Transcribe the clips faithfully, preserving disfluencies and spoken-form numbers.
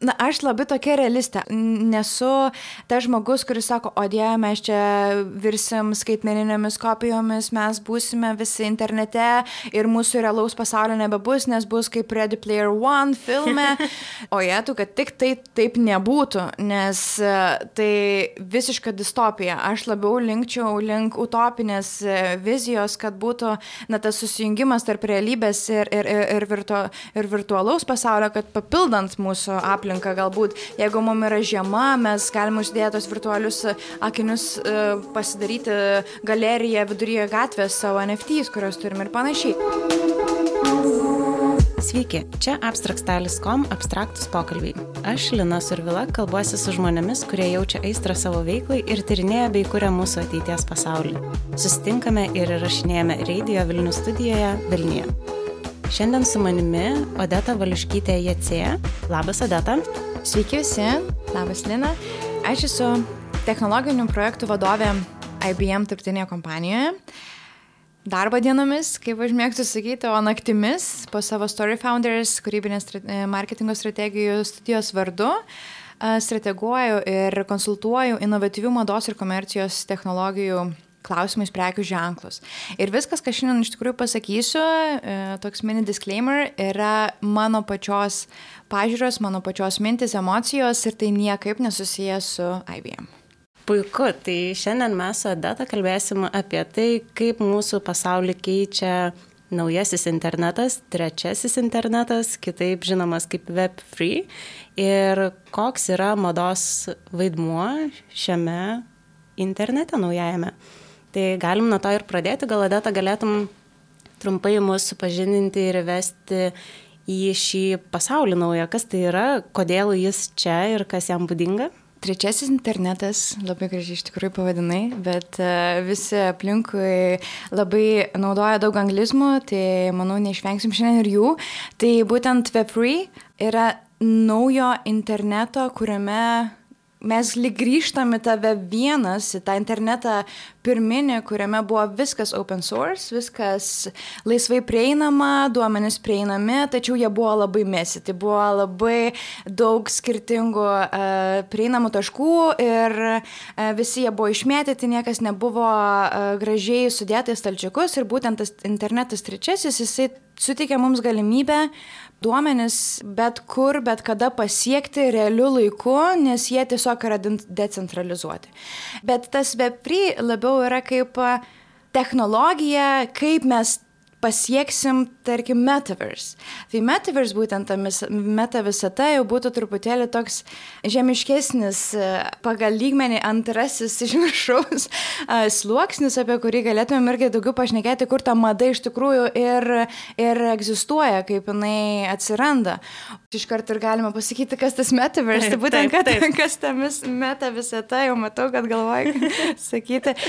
Na, aš labai tokia realistė. Nesu ta žmogus, kuris sako, o Dieve, mes čia virsim skaitmeninėmis kopijomis, mes būsime visi internete ir mūsų realaus pasaulio nebebus, nes bus kaip Ready Player One filme. O jėtų, kad tik tai taip nebūtų, nes tai visiška distopija. Aš labiau linkčiau link utopinės vizijos, kad būtų na, tas susijungimas tarp realybės ir, ir, ir, ir, virtu, ir virtualaus pasaulio, kad papildant mūsų aplinką. Galbūt, jeigu mums yra žiema, mes galime uždėti tos virtualius akinius, pasidaryti galeriją viduryje gatvės savo N F Ts, kurios turim ir panašiai. Sveiki, čia abstrakstalis taškas com abstraktus pokalbiai. Aš, Lina Survila, kalbuosi su žmonėmis, kurie jaučia aistrą savo veiklai ir tyrinėja bei kuria mūsų ateities pasaulį. Susitinkame ir įrašinėjame Radio Vilnius studijoje Vilniuje. Šiandien su manimi Odeta Valiuškytė Jacė. Labas, Odeta. Sveiki visi. Labas, Lina. Aš esu technologinių projektų vadovė I B M tarptautinėje kompanijoje. Darbo dienomis, kaip aš mėgstu sakyti, o naktimis po savo Story Founders kūrybinės marketingo strategijų studijos vardu strateguoju ir konsultuoju inovatyvių mados ir komercijos technologijų klausimais prekių ženklus. Ir viskas, ką šiandien iš tikrųjų pasakysiu, toks mini disclaimer, yra mano pačios pažiūros, mano pačios mintis, emocijos ir tai niekaip nesusijęs su I B M. Puiku, tai šiandien mes su Odeta kalbėsim apie tai, kaip mūsų pasaulį keičia naujasis internetas, trečiasis internetas, kitaip žinomas kaip Web trys, ir koks yra mados vaidmuo šiame internete naujajame. Tai galim nuo to ir pradėti, gal Odeta galėtum trumpai mus supažindinti ir vesti į šį pasaulį naują. Kas tai yra, kodėl jis čia ir kas jam būdinga? Trečiasis internetas, labai gražiai iš tikrųjų pavadinai, bet uh, visi aplinkui labai naudoja daug anglizmų, tai manau neišvengsim šiandien ir jų. Tai būtent Web trys yra naujo interneto, kuriame mes lyg grįžtame tą Web vienas, į tą internetą pirminį, kuriame buvo viskas open source, viskas laisvai prieinama, duomenys prieinami, tačiau jie buvo labai messy. Tai buvo labai daug skirtingų uh, prieinamų taškų ir uh, visi jie buvo išmėtyti, niekas nebuvo uh, gražiai sudėta į stalčiukus ir būtent tas internetas trečiasis, jisai suteikia mums galimybę duomenis bet kur, bet kada pasiekti realiu laiku, nes jie tiesiog yra decentralizuoti. Bet tas Web trys labiau yra kaip technologija, kaip mes pasieksim, tarkim, metaverse. Tai metaverse, būtent ta meta visata, jau būtų truputėlį toks žemiškesnis pagal lygmenį antrasis iš viršaus sluoksnis, apie kurį galėtumėm irgi daugiau pašnekėti, kur ta mada iš tikrųjų ir, ir egzistuoja, kaip jinai atsiranda. Iš karto ir galima pasakyti, kas tas metaverse, tai būtent taip, taip. Kad, kas ta meta visata, jau matau, kad galvoju sakyti.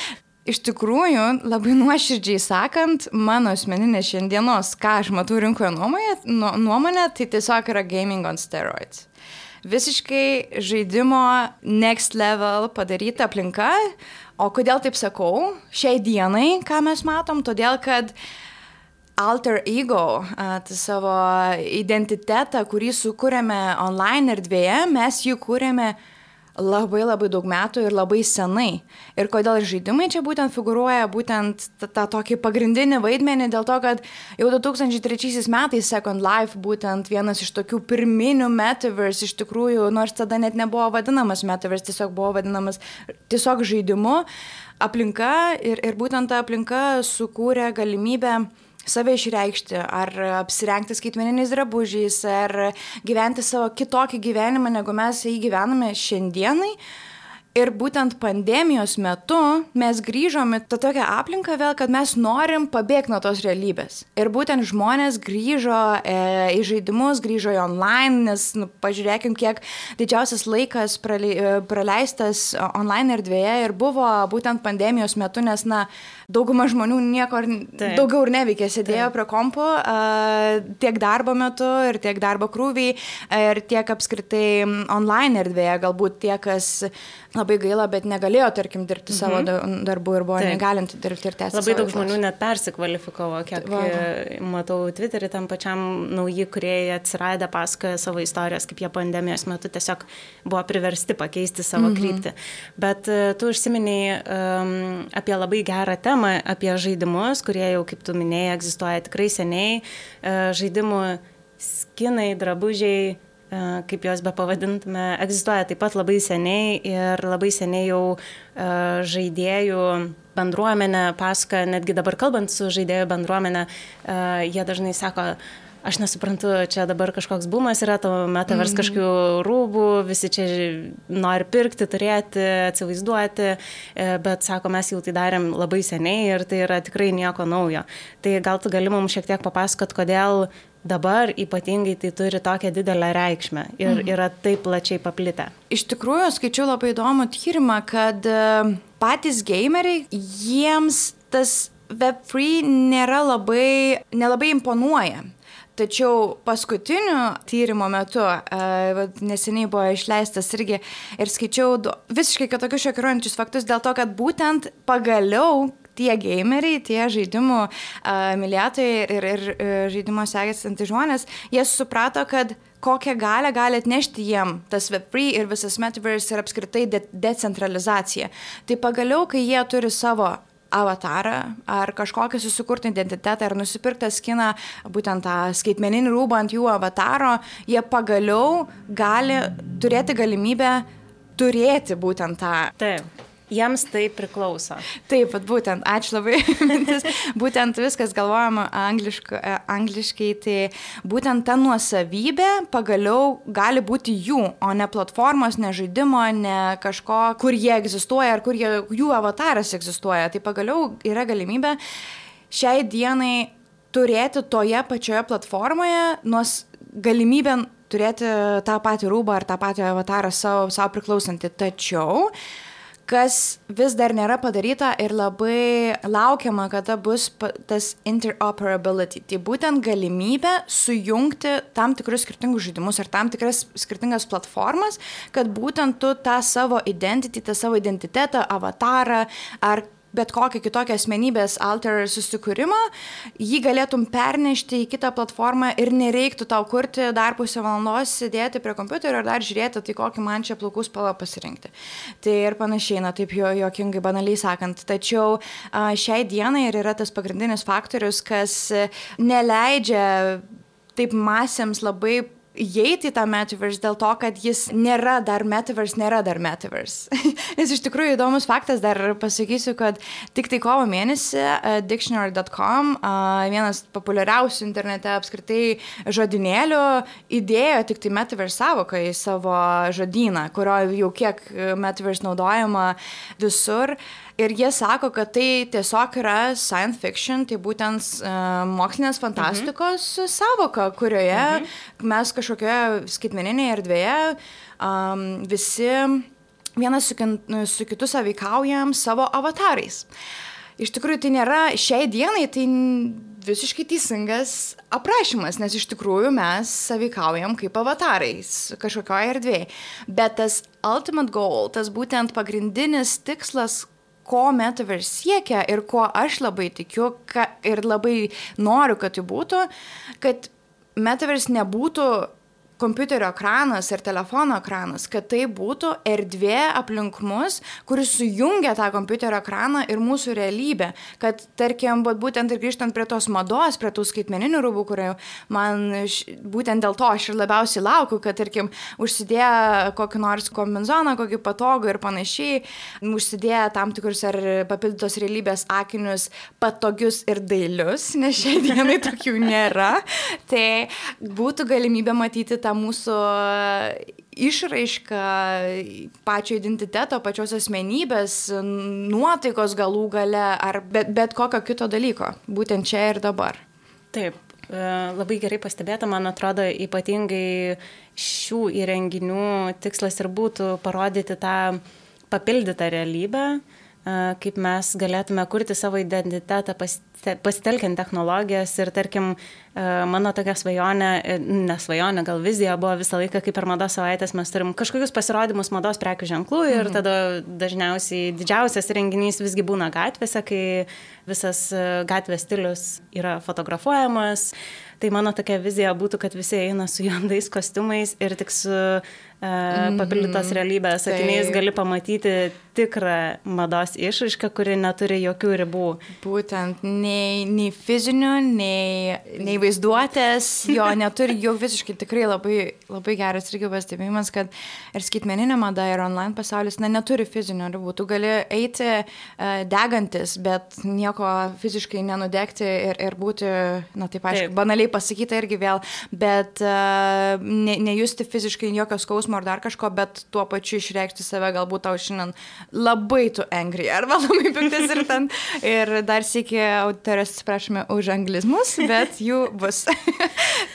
Iš tikrųjų, labai nuoširdžiai sakant, mano asmeninė šiandienos, ką aš matau rinkoje nuomonė, nuomonė, tai tiesiog yra gaming on steroids. Visiškai žaidimo next level padaryta aplinka, o kodėl taip sakau? Šiai dienai, ką mes matom, todėl kad alter ego, tai savo identitetą, kurį sukūrėme online erdvėje, mes jį kūrėme labai labai daug metų ir labai senai. Ir kodėl žaidimai čia būtent figuruoja būtent tą, tą tokį pagrindinį vaidmenį, dėl to, kad jau du tūkstančiai trečiaisiais metais Second Life būtent vienas iš tokių pirminių metaverse iš tikrųjų, nors tada net nebuvo vadinamas metaverse, tiesiog buvo vadinamas tiesiog žaidimu, aplinka ir, ir būtent ta aplinka sukūrė galimybę save išreikšti, ar apsirengti skaitmeniniais drabužiais, ar gyventi savo kitokį gyvenimą, negu mes jį gyvename šiandienai. Ir būtent pandemijos metu mes grįžome tą tokią aplinką vėl, kad mes norim pabėgti nuo tos realybės. Ir būtent žmonės grįžo e, į žaidimus, grįžo į online, nes nu, pažiūrėkim, kiek didžiausias laikas prale, praleistas online erdvėje ir buvo būtent pandemijos metu, nes na, dauguma žmonių nieko Taip. daugiau ir neveikė, sėdėjo Taip. prie kompo e, tiek darbo metu ir tiek darbo krūviai ir tiek apskritai online erdvėje, galbūt tie, kas labai gaila, bet negalėjo, tarkim, dirbti savo Mhm. darbų ir buvo Taip. negalinti dirbti ir tęsti. Labai savo daug veiklos. žmonių net persikvalifikavo, kiek Va, va. e, matau Twitter'į, tam pačiam nauji kūrėjai atsiradę pasakoja savo istorijas, kaip jie pandemijos metu tiesiog buvo priversti pakeisti savo Mhm. kryptį. Bet e, tu užsiminėjai um, apie labai gerą temą, apie žaidimus, kurie jau, kaip tu minėjai, egzistuoja tikrai seniai. E, žaidimų skinai, drabužiai, e, kaip juos be pavadintume, egzistuoja taip pat labai seniai ir labai seniai jau e, žaidėjų bendruomenė pasakoja, netgi dabar kalbant su žaidėjų bendruomenė, e, jie dažnai sako, aš nesuprantu, čia dabar kažkoks bumas yra, to metavers mm. kažkokių rūbų, visi čia nori pirkti, turėti, atsivaizduoti, e, bet sako, mes jau tai darėm labai seniai ir tai yra tikrai nieko naujo. Tai gal tu gali mums šiek tiek papasakot, kodėl dabar ypatingai tai turi tokią didelę reikšmę ir mhm. yra taip plačiai paplitę. Iš tikrųjų, skaičiau labai įdomų tyrimą, kad e, patys gameriai, jiems tas web free nėra labai, nelabai imponuoja. Tačiau paskutiniu tyrimo metu, e, neseniai buvo išleistas irgi ir skaičiau du, visiškai kitokius šokiruojančius faktus dėl to, kad būtent pagaliau tie gameriai, tie žaidimų uh, mylėtojai ir, ir uh, žaidimo sekėsantys žmonės, jie suprato, kad kokią galę gali atnešti jiem tas web free ir visas metaverse ir apskritai de- decentralizacija. Tai pagaliau, kai jie turi savo avatarą ar kažkokį susikurtą identitetą ar nusipirktą skiną, būtent tą skaitmeninį rūbą ant jų avataro, jie pagaliau gali turėti galimybę turėti būtent tą. Taip. Jiems tai priklauso. Taip, bet būtent, ačiū labai, mintis, būtent viskas galvojama angliškai, angliškai, tai būtent ta nuosavybė pagaliau gali būti jų, o ne platformos, ne žaidimo, ne kažko, kur jie egzistuoja ar kur jie, jų avataras egzistuoja. Tai pagaliau yra galimybė šiai dienai turėti toje pačioje platformoje nors galimybę turėti tą patį rūbą ar tą patį avatarą savo, savo priklausantį. Tačiau kas vis dar nėra padaryta ir labai laukiama, kada bus tas interoperability. Tai būtent galimybė sujungti tam tikrus skirtingus žaidimus ar tam tikras skirtingas platformas, kad būtent tu tą savo identity, tą savo identitetą, avatarą ar bet kokią kitokią asmenybės alter susikūrimą, jį galėtum pernešti į kitą platformą ir nereiktų tau kurti dar pusę valandos, sėdėti prie kompiuterio ir dar žiūrėti, tai kokį man čia plaukų spalvą pasirinkti. Tai ir panašiai, na taip jo, jokingai banaliai sakant. Tačiau a, šiai dienai ir yra tas pagrindinis faktorius, kas neleidžia taip masėms labai įeiti į tą metaverse dėl to, kad jis nėra dar metaverse, nėra dar metaverse. Nes iš tikrųjų įdomus faktas, dar pasakysiu, kad tik tai kovo mėnesį uh, dictionary dot com, uh, vienas populiariausių internete apskritai žodynėlių, įdėjo tik tai metaverse savoką į savo žodyną, kurio jau kiek metaverse naudojama visur. Ir jie sako, kad tai tiesiog yra science fiction, tai būtent uh, mokslinės fantastikos mhm. savoka, kurioje mhm. mes kažkokioje skaitmeninėje erdvėje um, visi vienas su, su kitu sąveikaujam savo avatarais. Iš tikrųjų, tai nėra šiai dienai, tai visiškai teisingas aprašymas, nes iš tikrųjų mes sąveikaujam kaip avatarais kažkokioje erdvėje. Bet tas ultimate goal, tas būtent pagrindinis tikslas, ko metaverse siekia ir ko aš labai tikiu ka, ir labai noriu, kad tai būtų, kad metaverse nebūtų kompiuterio ekranas ir telefono ekranas, kad tai būtų erdvė aplink mus, kuris sujungia tą kompiuterio ekraną ir mūsų realybę. Kad, tarkim, būtent ir grįžtant prie tos mados, prie tų skaitmeninių rūbų, kurie man būtent dėl to aš ir labiausiai laukiu, kad, tarkim, užsidėję kokį nors kombinezoną, kokį patogų ir panašiai, užsidėję tam tikrus ar papildytos realybės akinius patogius ir dailius, nes šiai dienai tokių nėra, tai būtų galimybė matyti tą mūsų išraišką pačio identiteto, pačios asmenybės, nuotaikos galų gale ar bet, bet kokio kito dalyko, būtent čia ir dabar. Taip, labai gerai pastebėta, man atrodo, ypatingai šių įrenginių tikslas ir būtų parodyti tą papildytą realybę, kaip mes galėtume kurti savo identitetą pasitelkiant technologijas ir, tarkim, mano tokia svajonė, ne svajonė, gal vizija buvo visą laiką, kaip per mados savaitės mes turim kažkokius pasirodymus mados prekių ženklų ir mhm. tada dažniausiai didžiausias renginys visgi būna gatvėse, kai visas gatvės stilius yra fotografuojamas. Tai mano tokia vizija būtų, kad visi eina su juodais kostiumais ir tik su uh, papildytos realybės akiniais tai gali pamatyti tikrą mados išraišką, kuri neturi jokių ribų. Būtent nei, nei fizinių, nei, nei vaizduotės, jo neturi jau visiškai tikrai labai, labai geras irgi pastebėjimas, kad ir skaitmeninė mada, ir online pasaulis na, neturi fizinių ribų. Tu gali eiti uh, degantis, bet nieko fiziškai nenudegti ir, ir būti, na taip aišku, taip. banaliai pasakyta irgi vėl, bet uh, ne, nejusti fiziškai jokio skausmo ar dar kažko, bet tuo pačiu išreikšti save, galbūt tau šiandien labai tu angry, arba labai piktas ir ten. Ir dar sėki autorės atsiprašome už anglizmus, bet jų bus.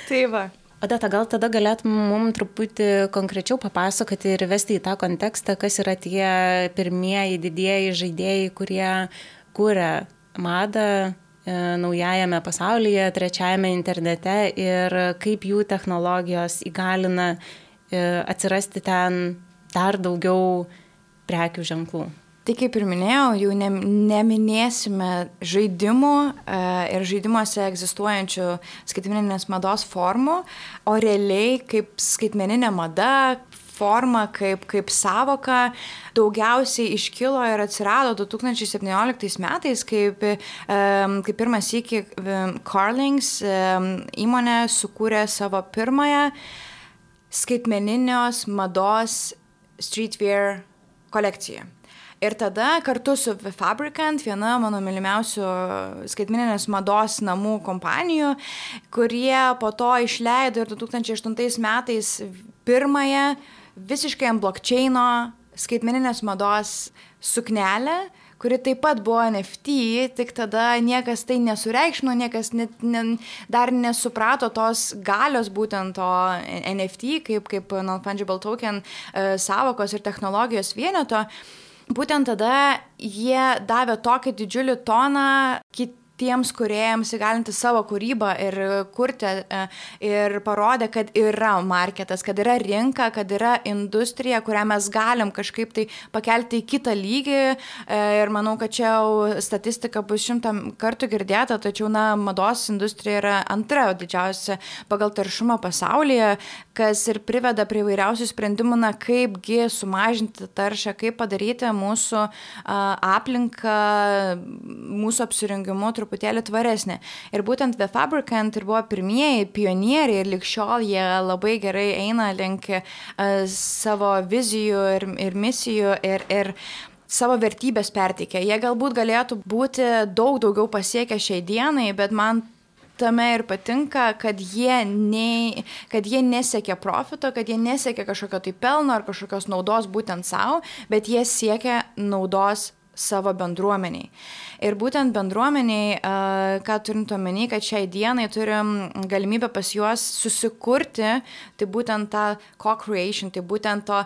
Tai va. Odeta, gal tada galėtum mums truputį konkrečiau papasakoti ir vesti į tą kontekstą, kas yra tie pirmieji didieji žaidėjai, kurie kūrė madą naujajame pasaulyje, trečiajame internete ir kaip jų technologijos įgalina atsirasti ten dar daugiau prekių ženklų. Tai kaip ir minėjau, jau ne, neminėsime žaidimų e, ir žaidimuose egzistuojančių skaitmeninės mados formų, o realiai kaip skaitmeninė mada, forma, kaip, kaip savoka, daugiausiai iškilo ir atsirado du tūkstančiai septynioliktais metais, kaip, e, kaip pirmas iki Carlings e, įmonė sukūrė savo pirmąją skaitmeninios mados streetwear kolekciją. Ir tada kartu su The Fabricant, viena mano mylimiausių skaitmeninės mados namų kompanijų, kurie po to išleido ir du tūkstančiai aštuntais metais pirmąją visiškai ant blockchaino skaitmeninės mados suknelę, kuri taip pat buvo N F T, tik tada niekas tai nesureikšmino, niekas net, ne, dar nesuprato tos galios būtent to N F T, kaip, kaip non-fungible token e, savokos ir technologijos vieneto. Būtent tada jie davė tokį didžiulį toną kitiems kūrėjams įgalinti savo kūrybą ir kurti ir parodė, kad yra marketas, kad yra rinka, kad yra industrija, kurią mes galim kažkaip tai pakelti į kitą lygį ir manau, kad čia jau statistika bus šimtą kartų girdėta, tačiau na, mados industrija yra antra didžiausia pagal taršumą pasaulyje, kas ir priveda prie įvairiausių sprendimų, na, kaipgi sumažinti taršą, kaip padaryti mūsų a, aplinką, mūsų apsirengimu truputėlį tvaresnė. Ir būtent The Fabricant ir buvo pirmieji pionieriai ir lig šiol jie labai gerai eina link a, savo vizijų ir, ir misijų ir, ir savo vertybės perteikia. Jie galbūt galėtų būti daug daugiau pasiekę šiai dienai, bet man tame ir patinka, kad jie, ne, kad jie nesiekia profito, kad jie nesiekia kažkokio tai pelno ar kažkokios naudos būtent savo, bet jie siekia naudos savo bendruomeniai. Ir būtent bendruomeniai, ką turint omeny, kad šiai dienai turim galimybę pas juos susikurti, tai būtent tą co-creation, tai būtent to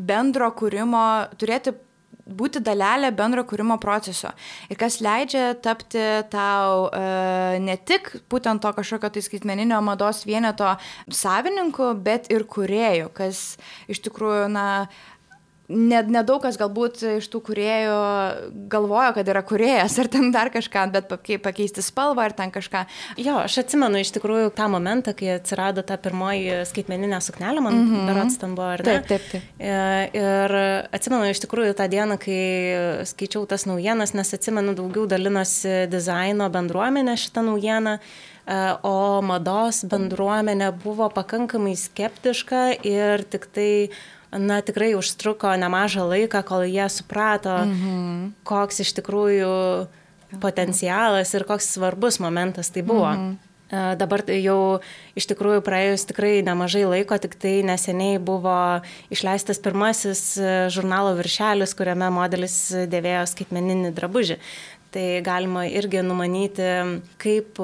bendro kūrimo, turėti būti dalelė bendro kūrimo proceso. Ir kas leidžia tapti tau e, ne tik būtent to kažkokio tai skaitmeninio mados vieneto savininku, bet ir kūrėjų, kas iš tikrųjų, na, nedaug kas galbūt iš tų kūrėjų galvojo, kad yra kūrėjas ar ten dar kažką, bet pakeisti spalvą ar ten kažką. Jo, aš atsimenu iš tikrųjų tą momentą, kai atsirado ta pirmoji skaitmeninė suknelė, man mm-hmm. berods ten buvo, ar ne? Taip, taip, taip. Ir atsimenu iš tikrųjų tą dieną, kai skaičiau tas naujienas, nes atsimenu daugiau dalinosi dizaino bendruomenė šitą naujieną, o mados bendruomenė buvo pakankamai skeptiška ir tik tai na, tikrai užtruko nemažą laiką, kol jie suprato, mm-hmm. koks iš tikrųjų potencialas ir koks svarbus momentas tai buvo. Mm-hmm. Dabar jau iš tikrųjų praėjus tikrai nemažai laiko, tik tai neseniai buvo išleistas pirmasis žurnalo viršelis, kuriame modelis dėvėjo skaitmeninį drabužį. Tai galima irgi numanyti, kaip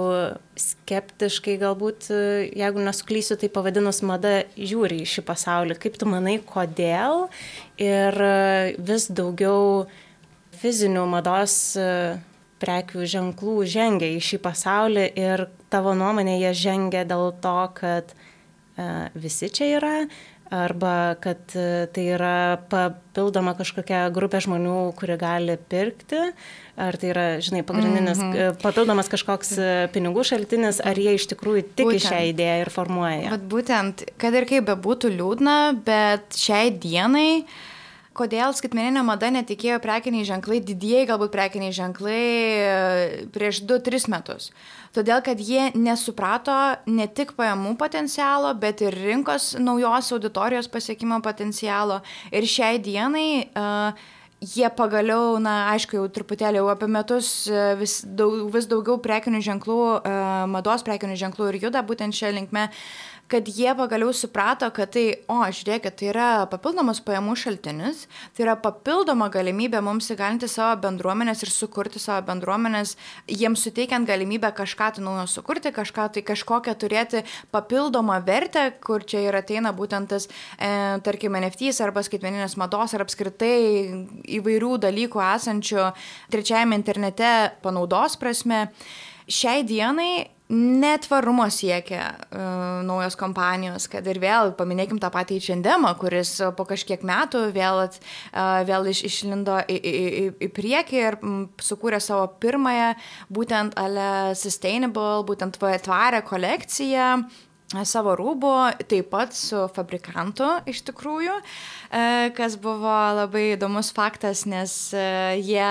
skeptiškai galbūt, jeigu nesuklysiu, tai pavadinus mada žiūri į šį pasaulį. Kaip tu manai, kodėl ir vis daugiau fizinių mados prekių ženklų žengia į šį pasaulį ir tavo nuomonė jie žengia dėl to, kad uh, visi čia yra, arba kad uh, tai yra papildoma kažkokia grupė žmonių, kuri gali pirkti, ar tai yra, žinai, pagrindinis mm-hmm. uh, papildomas kažkoks uh, pinigų šaltinis, ar jie iš tikrųjų tiki šią idėją ir formuoja. Bet būtent, kad ir kaip bebūtų liūdna, bet šiai dienai kodėl skaitmeninė mada netikėjo prekiniai ženklai, didieji galbūt prekiniai ženklai prieš du tris metus. Todėl, kad jie nesuprato ne tik pajamų potencialo, bet ir rinkos naujos auditorijos pasiekimo potencialo. Ir šiai dienai uh, jie pagaliau, na, aišku, jau truputėlį jau apie metus vis, daug, vis daugiau prekinių ženklų, uh, mados prekinių ženklų ir juda būtent šią linkmę, kad jie pagaliau suprato, kad tai, o, žiūrėkit, tai yra papildomas pajamų šaltinis, tai yra papildoma galimybė mums įgalinti savo bendruomenės ir sukurti savo bendruomenės, jiems suteikiant galimybę kažką tai naujo sukurti, kažką tai kažkokią turėti papildomą vertę, kur čia ir ateina būtent tas, e, tarkim, N F Ts arba skaitmeninės mados ar apskritai įvairių dalykų esančių trečiajame internete panaudos prasme. Šiai dienai netvarumo siekia uh, naujos kompanijos, kad ir vėl paminėkim tą patį H and M, kuris po kažkiek metų vėl, uh, vėl iš, išlindo į, į, į, į priekį ir m, sukūrė savo pirmąją būtent ale sustainable, būtent tvarę kolekciją savo rūbų, taip pat su fabrikantu iš tikrųjų, kas buvo labai įdomus faktas, nes jie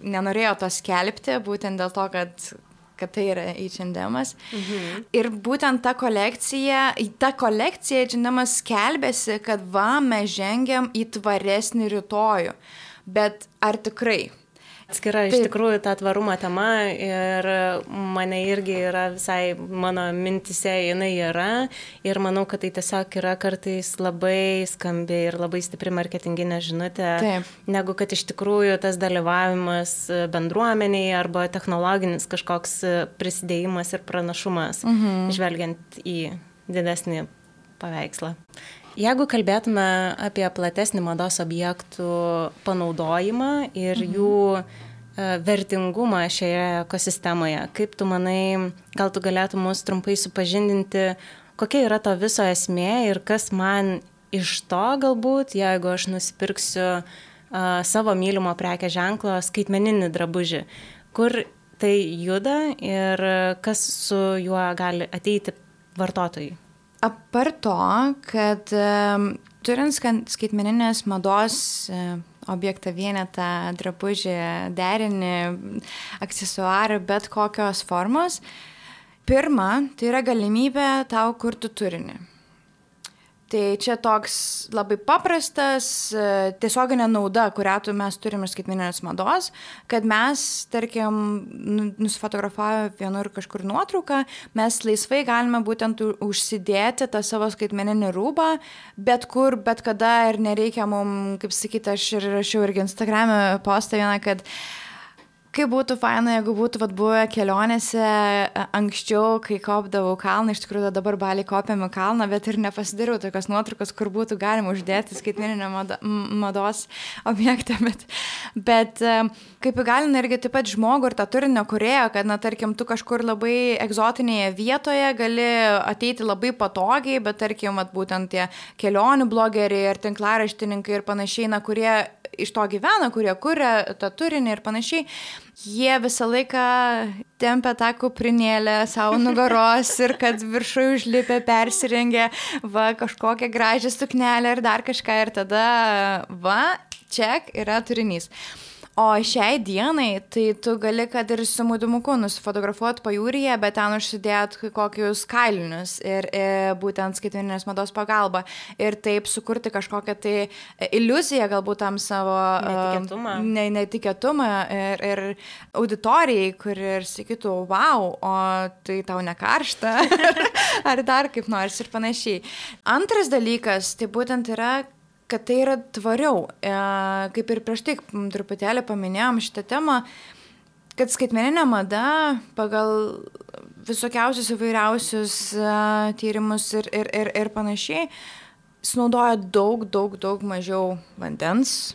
nenorėjo to skelbti, būtent dėl to, kad kad tai yra H and M. Mhm. Ir būtent ta kolekcija, ta kolekcija H and M skelbėsi, kad va, mes žengiam į tvaresnį rytojų. Bet ar tikrai? Atskira iš tikrųjų ta tvarumo tema ir mane irgi yra visai mano mintise jinai yra ir manau, kad tai tiesiog yra kartais labai skambi ir labai stipri marketinginė žinutė, Taip. Negu kad iš tikrųjų tas dalyvavimas bendruomeniai arba technologinis kažkoks prisidėjimas ir pranašumas, mhm. žvelgiant į didesnį paveikslą. Jeigu kalbėtume apie platesnį mados objektų panaudojimą ir mhm. jų vertingumą šioje ekosistemoje, kaip tu manai, gal tu galėtum mus trumpai supažindinti, kokia yra to viso esmė ir kas man iš to galbūt, jeigu aš nusipirksiu uh, savo mylimo prekės ženklo skaitmeninį drabužį, kur tai juda ir kas su juo gali ateiti vartotojui. Apart to, kad um, turint skaitmeninės mados uh, objektą, vienetą, drabužį, derinį, aksesuarą, bet kokios formos, pirma, tai yra galimybė tau kurti turinį. Tai čia toks labai paprastas, tiesioginė nauda, kurią tu mes turime iš skaitmeninės mados, kad mes, tarkim, nusifotografavę vienur kažkur nuotrauką, mes laisvai galime būtent užsidėti tą savo skaitmeninį rūbą, bet kur, bet kada ir nereikia mums, kaip sakyti, aš ir rašiau irgi Instagram'e postą vieną, kad kaip būtų faina, jeigu būtų vat, buvę kelionėse anksčiau, kai kopdavau kalną, iš tikrųjų dabar Balį kopėme kalną, bet ir nepasidariau tokios nuotraukos, kur būtų galima uždėti skaitmeninę mado, mados objektą, bet, bet kaip įgalina irgi taip pat žmogų ir tą turinio kūrėją, kad, na, tarkim, tu kažkur labai egzotinėje vietoje gali ateiti labai patogiai, bet, tarkim, vat, būtent tie kelionių blogeriai ar tinklaraštininkai ir panašiai, na, kurie iš to gyvena, kurie kuria tą turinį ir panašiai, jie visą laiką tempia tą kuprinėlę savo nugaros ir kad viršui užlipę persirengė va kažkokią gražią suknelę ir dar kažką ir tada va, ček, yra turinys. O šiai dienai, tai tu gali, kad ir su maudymuku nusifotografuoti pajūryje, bet ten užsidėt kokius kailinius ir, ir būtent skaitmeninės mados pagalba. Ir taip sukurti kažkokią tai iliuziją galbūt tam savo netikėtumą, uh, ne, netikėtumą ir, ir auditorijai, kuri ir sakytų, wow, o tai tau nekaršta, ar dar kaip nors ir panašiai. Antras dalykas, tai būtent yra, kad tai yra tvariau. E, kaip ir prieš tai truputėlį paminėjom šitą temą, kad skaitmeninė mada pagal visokiausius įvairiausius uh, tyrimus ir, ir, ir, ir panašiai, sunaudoja daug, daug, daug mažiau vandens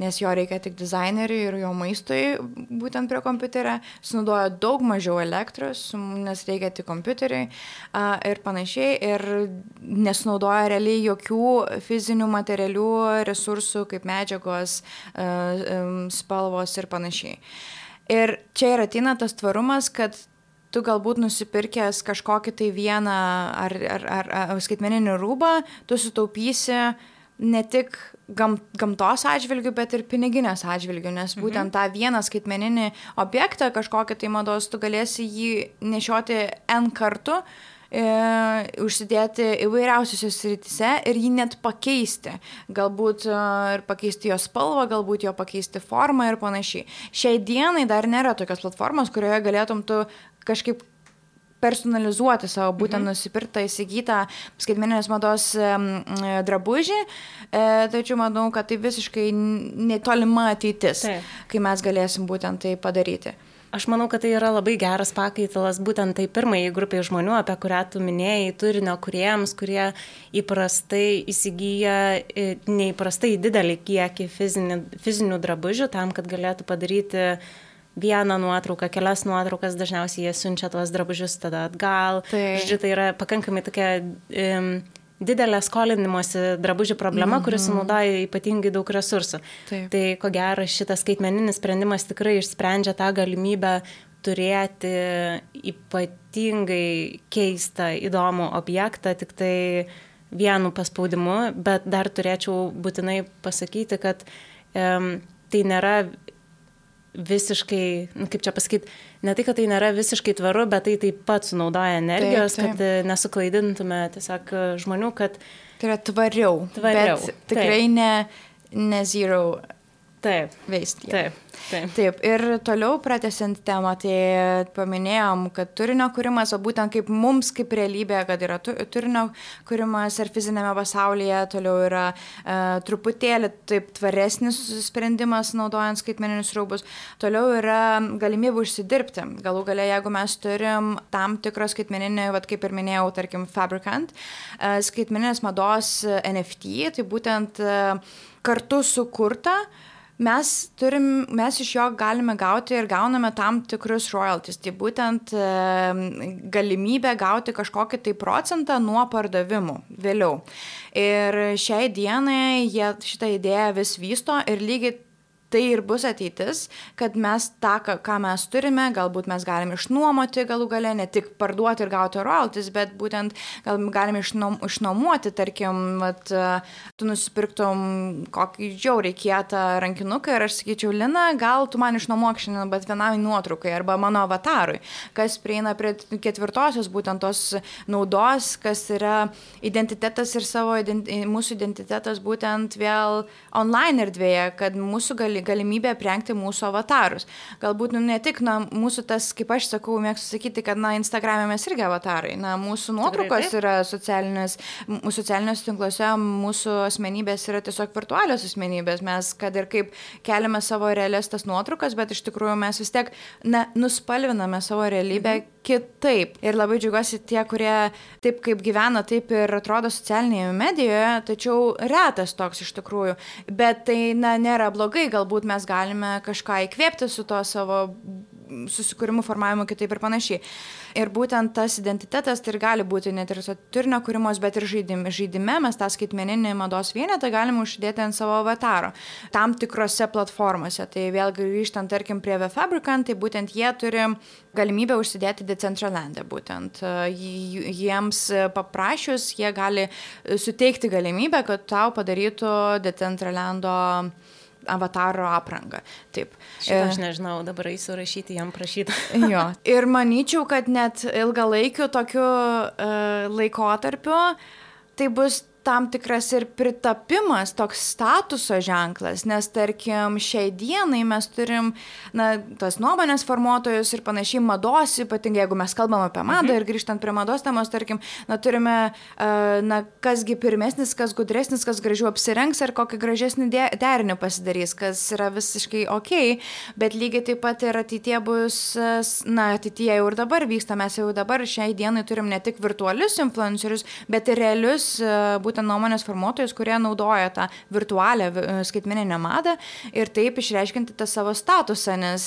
nes jo reikia tik dizaineriui ir jo maistui būtent prie kompiuterio, sunaudoja daug mažiau elektros, nes reikia tik kompiuteriui ir panašiai, ir nesunaudoja realiai jokių fizinių materialių resursų kaip medžiagos, spalvos ir panašiai. Ir čia ir ateina tas tvarumas, kad tu galbūt nusipirkęs kažkokį tai vieną ar, ar, ar, ar skaitmeninį rūbą, tu sutaupysi ne tik gam, gamtos atžvilgių, bet ir piniginės atžvilgių, nes būtent mhm. tą vieną skaitmeninį objektą, kažkokį tai mados, tu galėsi jį nešioti N kartų, e, užsidėti įvairiausiose srityse ir jį net pakeisti. Galbūt e, ir pakeisti jo spalvą, galbūt jo pakeisti formą ir panašiai. Šiai dienai dar nėra tokios platformos, kurioje galėtum tu kažkaip personalizuoti savo būtent mhm. nusipirktą, įsigytą skaitmeninės mados drabužį, tačiau manau, kad tai visiškai netolima ateitis, tai. Kai mes galėsim būtent tai padaryti. Aš manau, kad tai yra labai geras pakaitalas būtent tai pirmai grupiai žmonių, apie kurią tu minėjai, turinio kūrėjams, kurie įprastai įsigyja neįprastai didelį kiekį fizinių, fizinių drabužių tam, kad galėtų padaryti vieną nuotrauką, kelias nuotraukas, dažniausiai jie siunčia tuos drabužius tada atgal. Tai, Žodžiu, tai yra pakankamai tokia um, didelė skolinimosi drabužių problema, mm-hmm. kuris sunaudoja ypatingai daug resursų. Taip. Tai ko gero šitas skaitmeninis sprendimas tikrai išsprendžia tą galimybę turėti ypatingai keistą, įdomų objektą, tik tai vienu paspaudimu, bet dar turėčiau būtinai pasakyti, kad um, tai nėra visiškai, kaip čia pasakyti, ne tai, kad tai nėra visiškai tvaru, bet tai taip pat sunaudoja energijos, taip, taip. Kad nesuklaidintume tiesiog žmonių, kad... Tai yra tvariau, tvariau. Bet tikrai taip. ne, ne zero taip. waste. Taip. Taip. Taip, ir toliau pratęsiant temą, tai paminėjom, kad turinio kūrimas, o būtent kaip mums, kaip realybė, kad yra turinio kūrimas ir fizinėme pasaulyje, toliau yra e, truputėlį taip tvaresnis sprendimas naudojant skaitmeninius rūbus, toliau yra galimybė užsidirbti. Galų gale, jeigu mes turim tam tikrą skaitmeninį, vat, kaip ir minėjau, tarkim, Fabricant, e, skaitmeninės mados N F T, tai būtent e, kartu sukurta, Mes, turim, mes iš jo galime gauti ir gauname tam tikrus royalties, tai būtent e, galimybę gauti kažkokį tai procentą nuo pardavimų vėliau. Ir šiai dienai jie šitą idėją vis vysto ir lygiai tai ir bus ateitis, kad mes tą, ką mes turime, galbūt mes galime išnuomoti galų gale, ne tik parduoti ir gauti royalties, bet būtent gal galime išnuomoti, tarkim, vat, tu nusipirktum kokį žiauriai kietą rankinuką ir aš sakyčiau, Lina, gal tu man išnuomok šiandien, bet vienam nuotraukai arba mano avatarui, kas prieina prie ketvirtosios būtent tos naudos, kas yra identitetas ir savo identi- mūsų identitetas būtent vėl online erdvėje, kad mūsų gali galimybė aprengti mūsų avatarus. Galbūt nu, ne tik, na, mūsų tas, kaip aš sakau, mėgstu sakyti, kad, na, Instagram'e mes irgi avatarai. Na, mūsų nuotraukos yra socialinės, socialiniuose tinkluose, mūsų asmenybės yra tiesiog virtualios asmenybės. Mes, kad ir kaip keliame savo realias tas nuotraukas, bet iš tikrųjų mes vis tiek, na, nuspalviname savo realybę mhm. kitaip. Ir labai džiaugiuosi tie, kurie taip kaip gyvena, taip ir atrodo socialinėje medijoje, tačiau retas toks iš tikrųjų. Bet tai, na, nėra blogai, galbūt Galbūt mes galime kažką įkvėpti su to savo susikūrimu, formavimu kitaip ir panašiai. Ir būtent tas identitetas tai ir gali būti net ir turinio kūrimos, bet ir žaidime. Žaidime mes tą skaitmeninį mados vienetą galime uždėti ant savo avataro tam tikrose platformose. Tai vėl grįžtant, tarkim, prie Fabricant, tai būtent jie turi galimybę užsidėti Decentralandą. Būtent jiems paprašius, jie gali suteikti galimybę, kad tau padarytų Decentralando avataro aprangą. Taip. Šitą aš nežinau, dabar eisiu rašyti, jam prašyti. Jo. Ir manyčiau, kad net ilgalaikiu tokiu uh, laikotarpiu tai bus tam tikras ir pritapimas, toks statuso ženklas, nes tarkim šiai dienai mes turim, na, tas nuomonės formuotojus ir panašiai mados, ypatingai jeigu mes kalbam apie madą mhm. ir grįžtant prie mados temos, tarkim, na, turime, uh, na, kasgi pirmesnis, kas gudresnis, kas gražiau apsirengs ar kokį gražesnį de- derinį pasidarys, kas yra visiškai okei, bet lygiai taip pat ir ateitie bus, na, ateitie jau ir dabar vyksta, mes jau dabar šiai dienai turim ne tik virtualius influencerius, bet ir realius, uh, būtent nuomonės formuotojus, kurie naudoja tą virtualią skaitmeninę madą ir taip išreiškinti tą savo statusą, nes,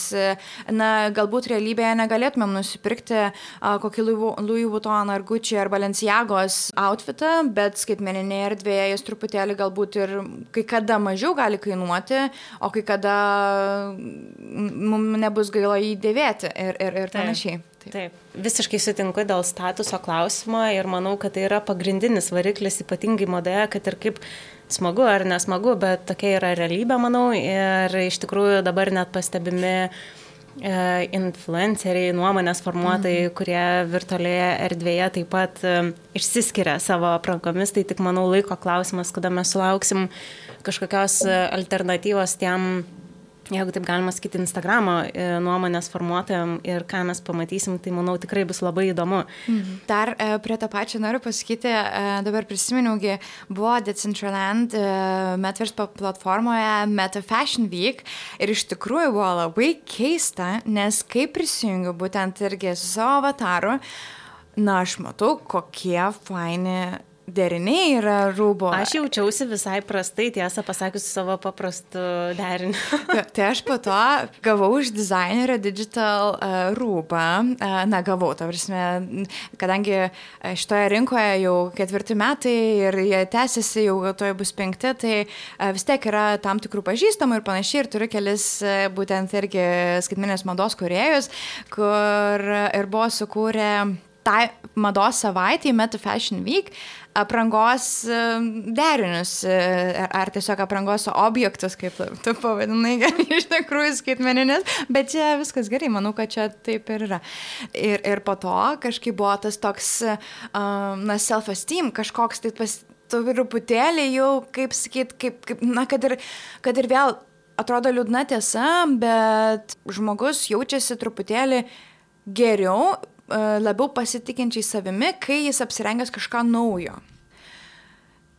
na, galbūt realybėje negalėtumėm nusipirkti a, kokį Louis Vuitton ar Gucci ar Balenciagos outfitą, bet skaitmeninėje erdvėje jis truputėlį galbūt ir kai kada mažiau gali kainuoti, o kai kada mums nebus gaila jį dėvėti ir, ir, ir panašiai. Taip. Taip, visiškai sutinku dėl statuso klausimo ir manau, kad tai yra pagrindinis variklis, ypatingai madoje, kad ir kaip smagu ar nesmagu, bet tokia yra realybė, manau, ir iš tikrųjų dabar net pastebimi e, influenceriai, nuomonės formuotojai, mm. kurie virtualioje erdvėje taip pat e, išsiskiria savo aprangomis, tai tik, manau, laiko klausimas, kada mes sulauksim kažkokios alternatyvos tiem, jeigu taip galima sakyti, Instagramo nuomonės formuotojam ir ką mes pamatysim, tai manau tikrai bus labai įdomu. Mhm. Dar e, prie to pačio noriu pasakyti, e, dabar prisiminiaugi, buvo Decentraland e, Metaverse platformoje Meta Fashion Week ir iš tikrųjų buvo labai keista, nes kai prisijungiu būtent irgi su savo avataru, na aš matau, kokie faini deriniai yra rūbo. Aš jaučiausi visai prastai, tiesą pasakius, savo paprastu deriniu. Tai, tai aš po to gavau iš dizainerio digital uh, rūbą. Uh, na, gavau, ta prasme, kadangi šitoje rinkoje jau ketvirti metai ir jie tęsiasi, jau toje bus penkti, tai uh, vis tiek yra tam tikrų pažįstamų ir panašiai. Ir turiu kelis uh, būtent irgi skaitmeninės mados kūrėjus, kur ir buvo sukūrę tai mados savaitį, Meta Fashion Week, aprangos derinius, ar tiesiog aprangos objektus, kaip tu pavadinai, iš tikrųjų skaitmeninės, bet čia viskas gerai, manau, kad čia taip ir yra. Ir, ir po to kažkaip buvo tas toks, um, na, self-esteem, kažkoks tai pas, truputėlį jau, kaip sakyt, kaip, kaip, na, kad ir, kad ir vėl atrodo liūdna tiesa, bet žmogus jaučiasi truputėlį geriau, labiau pasitikinčiai savimi, kai jis apsirengęs kažką naujo.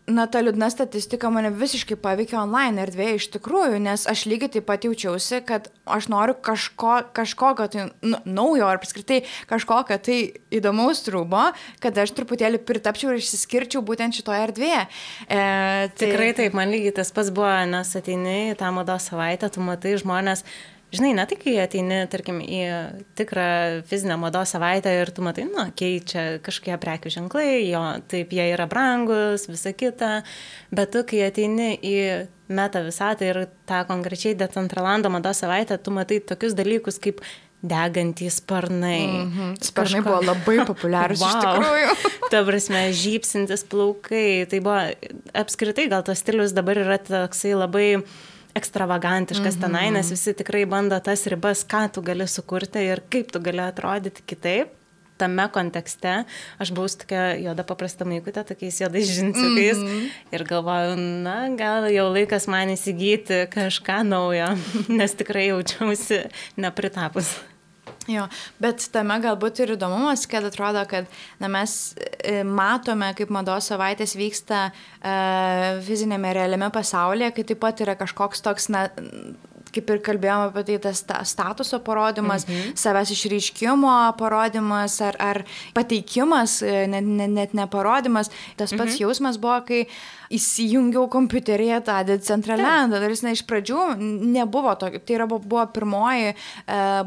Na, ta liūdna statistika mane visiškai paveikė online erdvėje iš tikrųjų, nes aš lygiai taip pat jaučiausi, kad aš noriu kažko, kažkokio tai nu, naujo ar apskritai kažkokio tai įdomaus rūbo, kad aš truputėlį pritapčiau ir išsiskirčiau būtent šitoje erdvėje. E, tai... Tikrai taip, man lygiai tas pats buvo, nes ateini į tą mados savaitę, tu matai žmonės. Žinai, ne tik, kai ateini, tarkim, į tikrą fizinę mados savaitę ir tu matai, nu, keičia kažkokie prekių ženklai, jo, taip, jie yra brangus, visa kita, bet tu, kai ateini į meta visatą ir tą konkrečiai Decentralando mados savaitę, tu matai tokius dalykus kaip degantys sparnai. Mm-hmm. Sparnai Kažko... buvo labai populiarūs wow. Iš tikrųjų. Ta prasme, žypsintis plaukai, tai buvo apskritai, gal tas stilius dabar yra toksai labai ekstravagantiškas mm-hmm. tenai, nes visi tikrai bando tas ribas, ką tu gali sukurti ir kaip tu gali atrodyti kitaip. Tame kontekste aš buvau tokia juoda paprasta maikutė, tokiais juodais džinsiukais mm-hmm. ir galvoju, na, gal jau laikas man įsigyti kažką naujo, nes tikrai jaučiausi nepritapus. Jo, bet tame galbūt ir įdomumas, kad atrodo, kad na, mes matome, kaip mados savaitės vyksta uh, fizinėme realiame pasaulyje, kai taip pat yra kažkoks toks, na, kaip ir kalbėjome apie tai, tas statuso parodymas, mhm. savęs išreiškimo parodymas ar, ar pateikimas, net, net, net neparodimas. Tas pats mhm. jausmas buvo, kai įsijungiau kompiuteryje tą Decentralandą. Dar jis ne iš pradžių nebuvo tokio. Tai yra, buvo pirmoji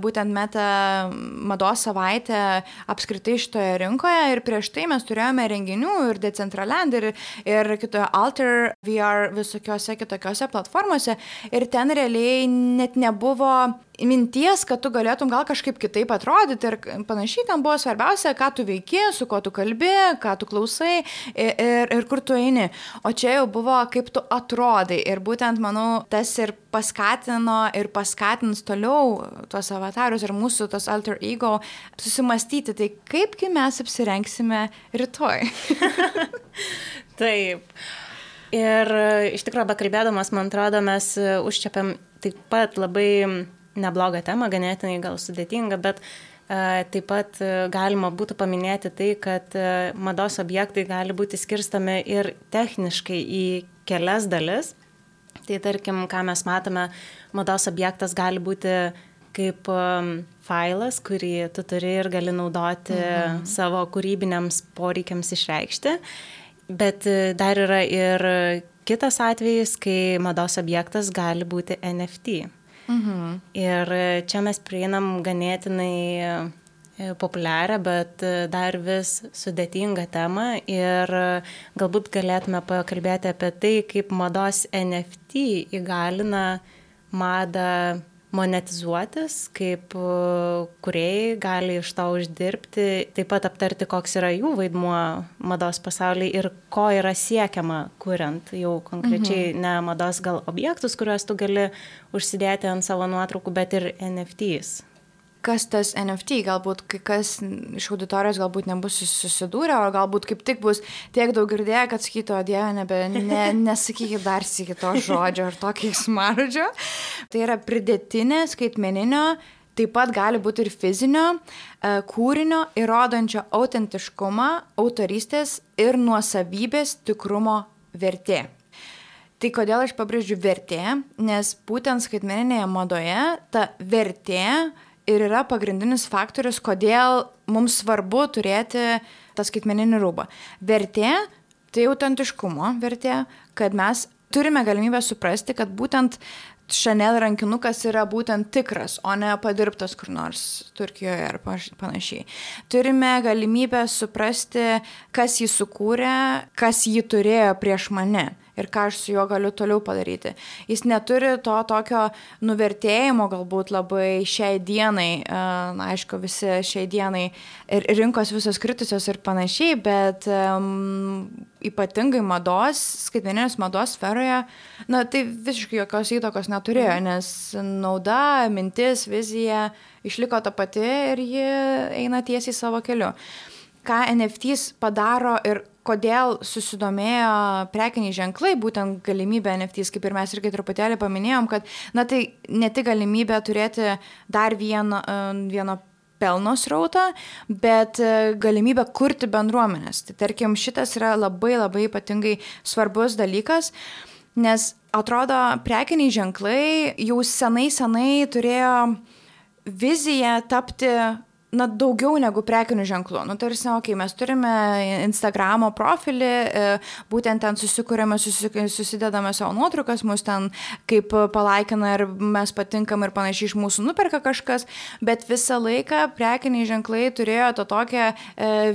būtent meta mados savaitė apskritai šitoje rinkoje ir prieš tai mes turėjome renginių ir Decentraland ir, ir kitoje Alter V R visokiose kitokiose platformose ir ten realiai net nebuvo minties, kad tu galėtum gal kažkaip kitaip atrodyti ir panašiai, ten buvo svarbiausia, ką tu veiki, su kuo tu kalbi, ką tu klausai ir, ir, ir kur tu eini. O čia jau buvo, kaip tu atrodai ir būtent, manau, tas ir paskatino ir paskatins toliau tuos avatarus ir mūsų tos alter ego susimastyti, tai kaipgi mes apsirengsime rytoj. Taip. Ir iš tikrųjų, bekalbėdamas, man atrodo, mes užčiapiam taip pat labai neblogą temą, ganėtinai gal sudėtingą, bet uh, taip pat uh, galima būtų paminėti tai, kad uh, mados objektai gali būti skirstomi ir techniškai į kelias dalis. Tai tarkim, ką mes matome, mados objektas gali būti kaip um, failas, kurį tu turi ir gali naudoti mhm. savo kūrybiniams poreikiams išreikšti. Bet dar yra ir kitas atvejis, kai mados objektas gali būti N F T. Mhm. Ir čia mes prieinam ganėtinai populiarią, bet dar vis sudėtingą temą ir galbūt galėtume pakalbėti apie tai, kaip mados N F T įgalina madą monetizuotis, kaip kūrėjai gali iš to uždirbti, taip pat aptarti, koks yra jų vaidmuo mados pasaulyje ir ko yra siekiama kuriant jau konkrečiai mhm. ne mados gal objektus, kuriuos tu gali užsidėti ant savo nuotraukų, bet ir N F Ts. Kas tas N F T, galbūt kai kas iš auditorijos galbūt nebus susidūrę, o galbūt kaip tik bus tiek daug girdėję, kad sakytų, o Dieve, nebe, ne, nesakykit dar sykį to žodžio ar to keiksmažodžio. Tai yra pridėtinė skaitmeninio, taip pat gali būti ir fizinio kūrinio įrodančio autentiškumą, autorystės ir nuosavybės tikrumo vertė. Tai kodėl aš pabrėžiu vertė, nes būtent skaitmeninėje madoje ta vertė ir yra pagrindinis faktorius, kodėl mums svarbu turėti tą skaitmeninį rūbą. Vertė, tai autentiškumo vertė, kad mes turime galimybę suprasti, kad būtent Chanel rankinukas yra būtent tikras, o ne padirbtas kur nors Turkijoje ar panašiai. Turime galimybę suprasti, kas jį sukūrė, kas jį turėjo prieš mane ir ką aš su juo galiu toliau padaryti. Jis neturi to tokio nuvertėjimo galbūt labai šiai dienai, na, aišku, visi šiai dienai ir rinkos visos kritusios ir panašiai, bet um, ypatingai mados, skaitmeninės mados sferoje, na, tai visiškai jokios įtakos neturėjo, nes nauda, mintis, vizija išliko ta pati ir ji eina tiesiai savo keliu. Ką N F Ts padaro ir kodėl susidomėjo prekiniai ženklai, būtent galimybė N F Ts, kaip ir mes irgi truputėlį paminėjom, kad na, tai ne tik galimybė turėti dar vieno, vieno pelno srautą, bet galimybę kurti bendruomenės. Tai tarkim, šitas yra labai labai ypatingai svarbus dalykas, nes atrodo, prekiniai ženklai jau senai senai turėjo viziją tapti na, daugiau negu prekinių ženklų. Nu, tarsi, okei, okay, mes turime Instagramo profilį, būtent ten susikūrėme, susidedame savo nuotraukas, mus ten kaip palaikina ir mes patinkam ir panašiai iš mūsų nuperka kažkas, bet visą laiką prekiniai ženklai turėjo to tokią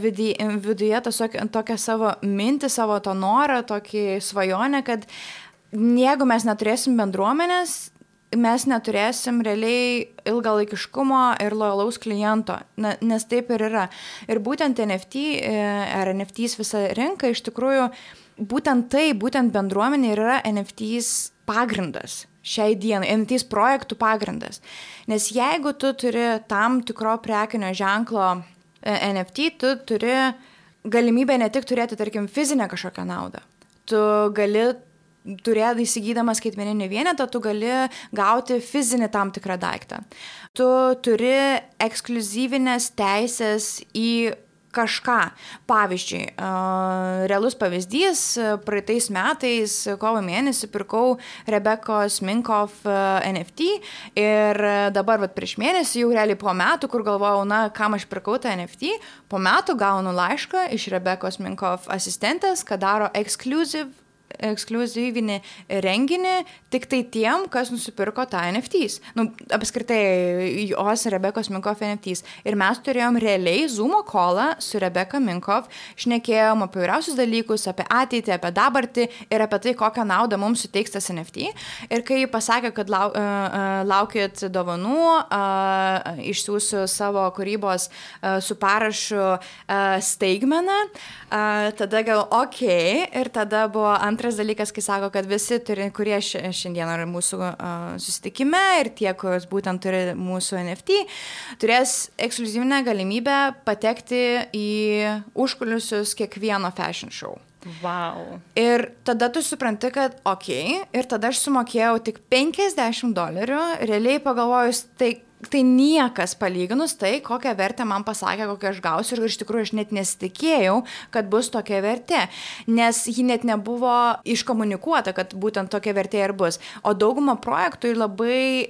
viduje, tokią savo mintį, savo to norą, tokį svajonę, kad jeigu mes neturėsim bendruomenės, mes neturėsim realiai ilgalaikiškumo ir lojalaus kliento, na, nes taip ir yra. Ir būtent N F T ar N F Ts visa rinka iš tikrųjų, būtent tai, būtent bendruomenė yra N F Ts pagrindas šiai dienai, N F Ts projektų pagrindas. Nes jeigu tu turi tam tikro prekinio ženklo N F T, tu turi galimybę ne tik turėti, tarkim, fizinę kažkokią naudą. Tu gali turėt įsigydamas skaitmeninį vienetą, tu gali gauti fizinį tam tikrą daiktą. Tu turi ekskliuzyvinės teisės į kažką. Pavyzdžiui, realus pavyzdys, praeitais metais, kovo mėnesį, pirkau Rebekos Minkoff N F T ir dabar vat, prieš mėnesį, jau realiai po metų, kur galvojau, na, kam aš pirkau tą N F T, po metų gaunu laišką iš Rebekos Minkoff asistentės, kad daro ekskliuzyv ekskliuzyvinį renginį tik tai tiem, kas nusipirko tą N F Ts. Nu, apskritai, jos Rebekos Minkoff N F Ts. Ir mes turėjom realiai Zoomo callą su Rebeka Minkoff, šnekėjom apie įvairiausius dalykus, apie ateitį, apie dabartį ir apie tai, kokią naudą mums suteiks tas N F T. Ir kai pasakė, kad lau, uh, laukit dovanų, uh, išsiųsiu savo kūrybos uh, su parašu uh, staigmeną, uh, tada gal ok, ir tada buvo antras Antras dalykas, kai sako, kad visi, turi, kurie šiandien yra mūsų uh, susitikime ir tie, kurios būtent turi mūsų N F T, turės ekskliuzyvinę galimybę patekti į užkulisius kiekvieno fashion show. Wow. Ir tada tu supranti, kad ok, ir tada aš sumokėjau tik penkiasdešimt dolerių, realiai pagalvojus, tai tai niekas palyginus tai, kokią vertę man pasakė, kokią aš gausiu ir iš tikrųjų aš net nesitikėjau, kad bus tokia vertė, nes ji net nebuvo iškomunikuota, kad būtent tokia vertė ir bus. O dauguma projektų labai,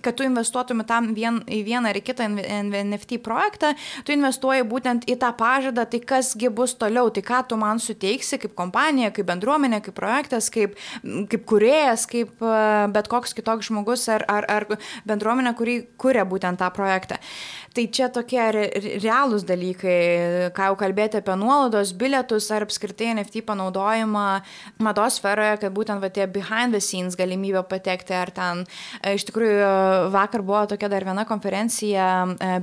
kad tu investuotum tam vien, į vieną ar į kitą N F T projektą, tu investuoji būtent į tą pažadą, tai kasgi bus toliau, tai ką tu man suteiksi kaip kompanija, kaip bendruomenė, kaip projektas, kaip, kaip kūrėjas, kaip bet koks kitoks žmogus ar, ar, ar bendruomenė, kuri kuria būtent tą projektą. Tai čia tokie re, realūs dalykai, ką jau kalbėti apie nuolaidos, bilietus ar apskritai N F T panaudojimą mados sferoje, kad būtent va, tie behind the scenes galimybė patekti ar ten. Iš tikrųjų, vakar buvo tokia dar viena konferencija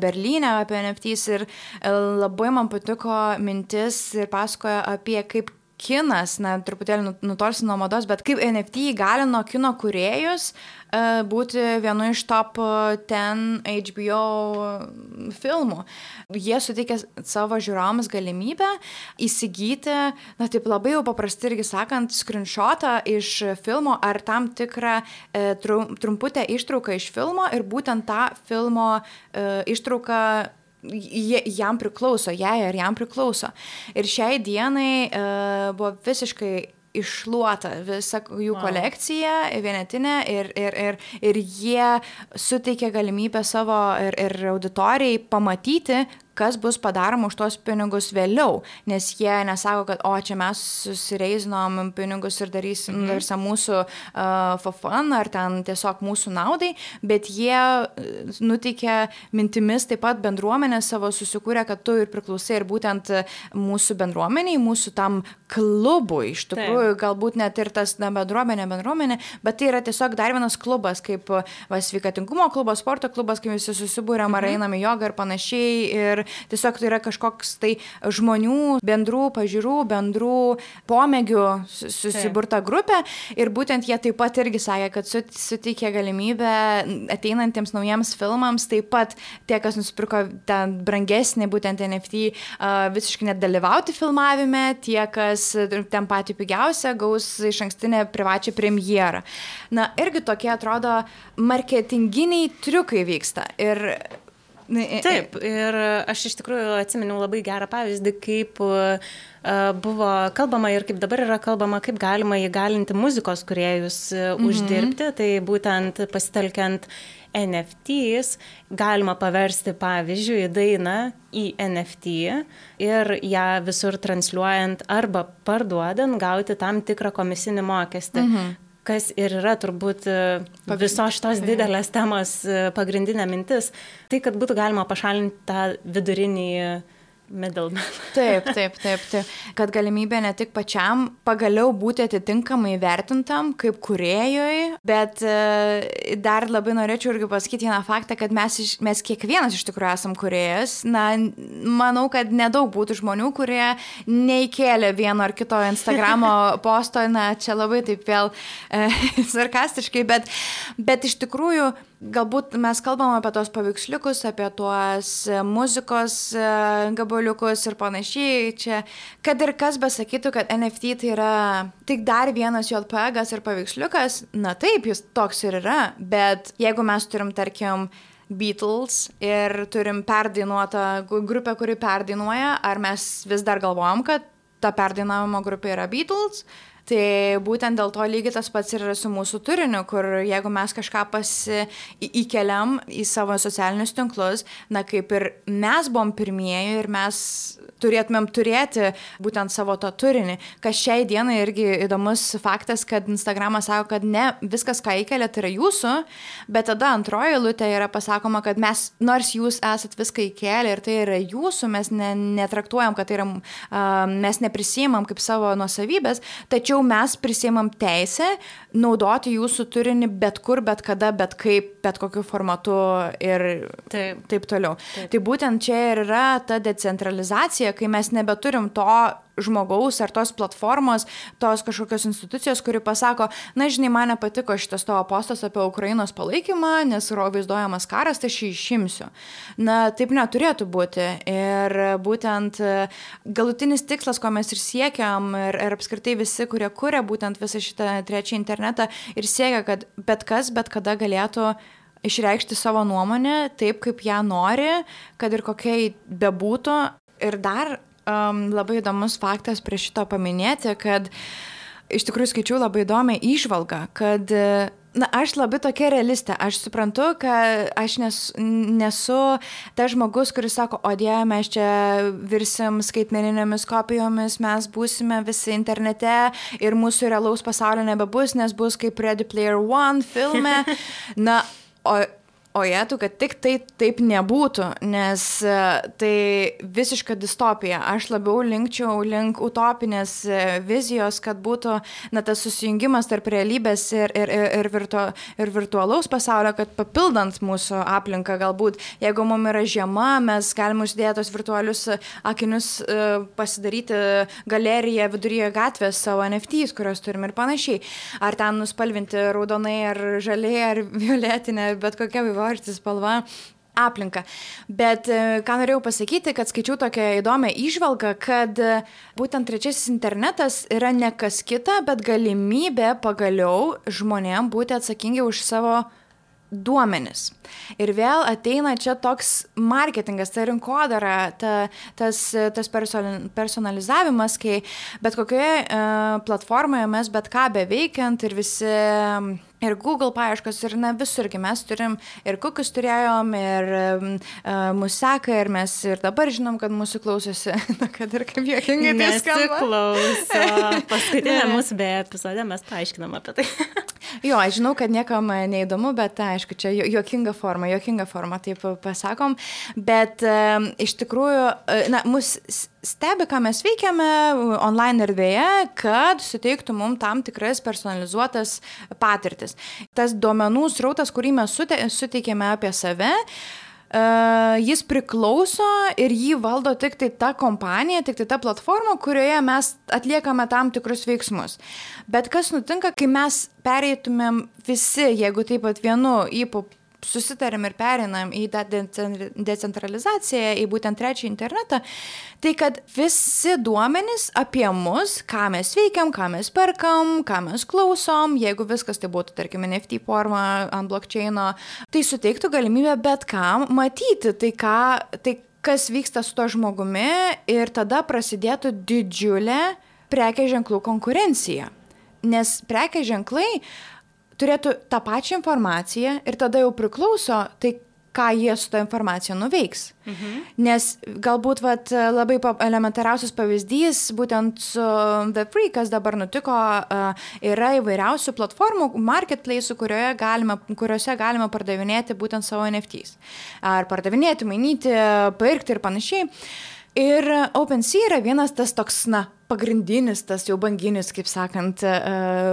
Berlyne apie N F Ts ir labai man patiko mintis ir pasakoja apie kaip kinas, na, truputėlį nutolsi nuo mados, bet kaip N F T įgalino kino kūrėjus uh, būti vienu iš top ten H B O filmų. Jie suteikė savo žiūrovams galimybę įsigyti, na, taip labai jau paprastai irgi sakant, screenshotą iš filmo ar tam tikrą uh, trumputę ištrauką iš filmo ir būtent tą filmo uh, ištrauką jam priklauso, jai ar jam priklauso. Ir šiai dienai uh, buvo visiškai iššluota visa jų wow. kolekcija, vienetinė ir, ir, ir, ir jie suteikė galimybę savo ir, ir auditorijai pamatyti, kas bus padaroma už tos pinigus vėliau, nes jie nesako, kad o, čia mes susireizinom pinigus ir darysim mm-hmm. darysim mūsų uh, for fun ar ten tiesiog mūsų naudai, bet jie nuteikė mintimis taip pat bendruomenę savo susikūrė, kad tu ir priklausai ir būtent mūsų bendruomeniai, mūsų tam klubui, iš tikrųjų, taip. Galbūt net ir tas na, bendruomenė, bendruomenė, bet tai yra tiesiog dar vienas klubas, kaip va, sveikatingumo klubas, sporto klubas, kai visi susibūrėm mm-hmm. ar einam į jogą ir panašiai ir tiesiog tai yra kažkoks tai žmonių, bendrų pažiūrų, bendrų pomėgių susiburta grupė ir būtent jie taip pat irgi sakė, kad suteikė galimybę ateinantiems naujiems filmams, taip pat tie, kas nusipirko ten brangesnį būtent N F T, visiškai net dalyvauti filmavime, tie, kas ten patį pigiausią, gaus iš ankstinę privačią premjerą. Na, irgi tokie atrodo marketinginiai triukai vyksta ir Taip, ir aš iš tikrųjų atsiminiau labai gerą pavyzdį, kaip buvo kalbama ir kaip dabar yra kalbama, kaip galima įgalinti muzikos kūrėjus mm-hmm. uždirbti, tai būtent pasitelkiant N F Ts galima paversti pavyzdžiui dainą į N F T ir ją visur transliuojant arba parduodant gauti tam tikrą komisinį mokestį. Mm-hmm. Kas ir yra turbūt visos šitos didelės temos pagrindinė mintis, tai kad būtų galima pašalinti tą vidurinį middleman. Taip, taip, taip, taip. Kad galimybė ne tik pačiam pagaliau būti atitinkamai vertintam kaip kūrėjui, bet dar labai norėčiau irgi pasakyti vieną faktą, kad mes, mes kiekvienas iš tikrųjų esam kūrėjas. Na, manau, kad nedaug būtų žmonių, kurie neįkėlė vieno ar kito Instagramo posto, na, čia labai taip vėl e, sarkastiškai, bet, bet iš tikrųjų galbūt mes kalbam apie tos paveiksliukus, apie tuos muzikos gabaliukus ir panašiai. Čia, kad ir kas besakytų, kad N F T tai yra tik dar vienas J P G-as ir paveiksliukas, na taip, jis toks ir yra, bet jeigu mes turim, tarkim, Beatles ir turim perdainuotą grupę, kuri perdainuoja, ar mes vis dar galvojam, kad ta perdainavimo grupė yra Beatles? Tai būtent dėl to lygiai tas pats ir su mūsų turiniu, kur jeigu mes kažką pasi įkeliam į savo socialinius tinklus, na kaip ir mes buvom pirmieji ir mes turėtumėm turėti būtent savo tą turinį. Kas šiai dienai irgi įdomus faktas, kad Instagramas sako, kad ne viskas, ką įkelia, tai yra jūsų, bet tada antroji eilutė yra pasakoma, kad mes, nors jūs esat viską įkelę ir tai yra jūsų, mes ne, netraktuojam, kad tai yra, uh, mes neprisimam kaip savo nuosavybės, tačiau mes prisimam teisę naudoti jūsų turinį bet kur, bet kada, bet kaip, bet kokiu formatu ir taip, taip toliau. Taip. Tai būtent čia ir yra ta decentralizacija, kai mes nebeturim to žmogaus ar tos platformos, tos kažkokios institucijos, kuri pasako, na, žinai, man nepatiko šitas tavo postas apie Ukrainos palaikymą, nes vaizduojamas karas, tai aš jį išimsiu. Na, taip neturėtų būti. Ir būtent galutinis tikslas, ko mes ir siekiam, ir, ir apskritai visi, kurie kuria būtent visą šitą trečią internetą, ir siekia, kad bet kas, bet kada galėtų išreikšti savo nuomonę taip, kaip ją nori, kad ir kokia bebūtų. Ir dar um, labai įdomus faktas prie šito paminėti, kad iš tikrųjų skaičiau labai įdomią įžvalgą, kad na, aš labai tokia realistė. Aš suprantu, kad aš nes, nesu tas žmogus, kuris sako, o Dieve, mes čia virsim skaitmeninėmis kopijomis, mes būsime visi internete ir mūsų realaus pasaulio nebebus, nes bus kaip Ready Player One filme. Na, o... O jėtų, kad tik tai taip nebūtų, nes tai visiška distopija. Aš labiau linkčiau link utopinės vizijos, kad būtų na, tas susijungimas tarp realybės ir, ir, ir, virtu, ir virtualaus pasaulio, kad papildant mūsų aplinką galbūt, jeigu mums yra žiema, mes galime uždėti tos virtualius akinius, pasidaryti galeriją viduryje gatvės savo N F Ts, kurios turim ir panašiai. Ar ten nuspalvinti raudonai, ar žaliai, ar violetinė, bet kokia vaivorti spalva aplinką. Bet ką norėjau pasakyti, kad skaičiau tokią įdomią įžvalgą, kad būtent trečiasis internetas yra ne kas kita, bet galimybė pagaliau žmonėm būti atsakingi už savo duomenis. Ir vėl ateina čia toks marketingas, ta rinkodara, ta, tas, tas personalizavimas, kai bet kokioje uh, platformoje mes bet ką beveikiant ir visi ir Google paieškos, ir na visurgi mes turim, ir kokius turėjom, ir uh, mūsų seka, ir mes ir dabar žinom, kad mūsų klausosi, na, kad ir kaip juokingai tai skamba. Nesiklauso. Paskutinė mūsų beje epizode mes paaiškinam apie tai. Jo, aš žinau, kad niekam neįdomu, bet aišku, čia juokinga forma, juokinga forma, taip pasakom, bet uh, iš tikrųjų, uh, na, mus stebi, ką mes veikiame online erdvėje, kad suteiktų mums tam tikras personalizuotas patirtis. Tas duomenų srautas, kurį mes suteikėme apie save, uh, jis priklauso ir jį valdo tik tai ta kompanija, tik tai ta platforma, kurioje mes atliekame tam tikrus veiksmus. Bet kas nutinka, kai mes pereitumėm visi, jeigu taip pat vienu įpu susitarėm ir pereinam į tą decentralizaciją, į būtent trečią internetą, tai kad visi duomenys apie mus, ką mes veikiam, ką mes perkam, ką mes klausom, jeigu viskas tai būtų, tarkim, N F T forma ant blockchaino, tai suteiktų galimybę bet kam matyti tai, ką, tai kas vyksta su to žmogumi ir tada prasidėtų didžiulė prekės ženklų konkurencija. Nes prekės ženklai turėtų tą pačią informaciją ir tada jau priklauso, tai ką jie su tą informacija nuveiks. Mhm. Nes galbūt vat, labai elementariausias pavyzdys, būtent su Web3, kas dabar nutiko, yra įvairiausių platformų, marketplace'ų, kurioje galima, kuriuose galima pardavinėti būtent savo N F Ts. Ar pardavinėti, mainyti, pirkti ir panašiai. Ir OpenSea yra vienas tas toks, na, pagrindinis, tas jau banginis, kaip sakant,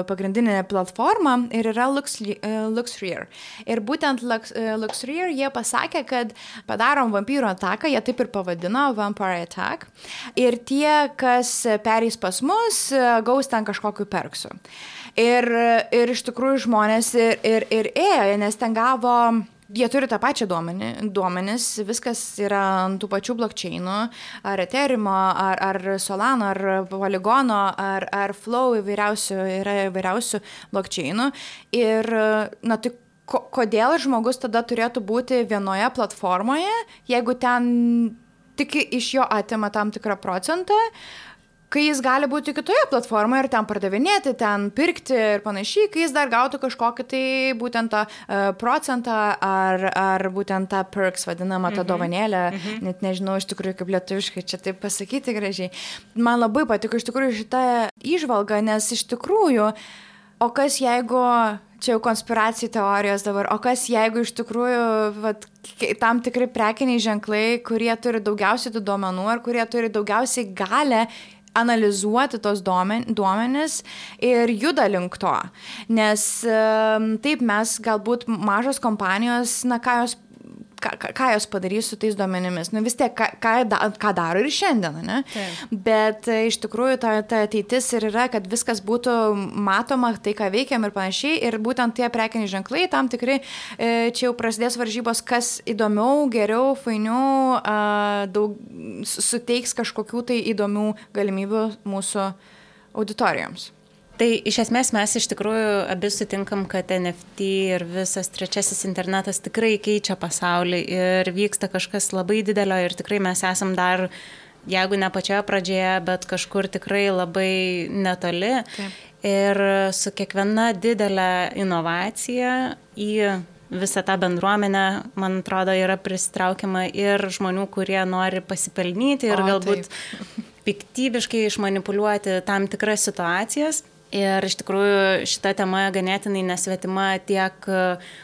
pagrindinė platforma ir yra LuxRare. Ir būtent LuxRare jie pasakė, kad padarom vampyro ataką, jie taip ir pavadino, Vampire Attack. Ir tie, kas pereis pas mus, gaus ten kažkokiu perksų. Ir, ir iš tikrųjų žmonės ir, ir, ir ėjo, nes ten gavo... Jie turi tą pačią duomenį, duomenis, viskas yra ant tų pačių blockchainų, ar Ethereum, ar, ar Solano, ar Polygono, ar, ar Flow, įvairiausių, yra įvairiausių blockchainų. Ir, na, tai ko, kodėl žmogus tada turėtų būti vienoje platformoje, jeigu ten tik iš jo atima tam tikrą procentą, kai jis gali būti kitoje platformoje ir ten pardavinėti, ten pirkti ir panašiai, kai jis dar gautų kažkokį tai būtent tą uh, procentą ar, ar būtent tą perks vadinamą, tą mm-hmm. dovanėlę, mm-hmm. net nežinau iš tikrųjų kaip lietuviškai čia taip pasakyti gražiai. Man labai patiko iš tikrųjų šitą įžvalgą, nes iš tikrųjų, o kas jeigu, čia jau konspiracijų teorijos dabar, o kas jeigu iš tikrųjų vat, tam tikri prekiniai ženklai, kurie turi daugiausiai tų duomenų ar kurie turi daugiausiai galę analizuoti tos duomenis ir juda link to. Nes taip mes galbūt mažos kompanijos, na ką jos, ką, ką jos padarys su tais duomenimis. Nu vis tiek, ką, ką, ką daro ir šiandien, ne? Taip. Bet iš tikrųjų ta, ta ateitis ir yra, kad viskas būtų matoma, tai ką veikiam ir panašiai. Ir būtent tie prekiniai ženklai, tam tikrai, čia jau prasidės varžybos, kas įdomiau, geriau, fainiau, daug, suteiks kažkokių tai įdomių galimybių mūsų auditorijoms. Tai iš esmės mes iš tikrųjų abi sutinkam, kad N F T ir visas trečiasis internetas tikrai keičia pasaulį ir vyksta kažkas labai didelio ir tikrai mes esam dar, jeigu ne pačioje pradžioje, bet kažkur tikrai labai netoli. Taip. Ir su kiekviena didelė inovacija į visą tą bendruomenę, man atrodo, yra pristraukiama ir žmonių, kurie nori pasipelnyti ir o, galbūt taip. piktybiškai išmanipuliuoti tam tikras situacijas. Ir iš tikrųjų šita tema ganėtinai nesvetima tiek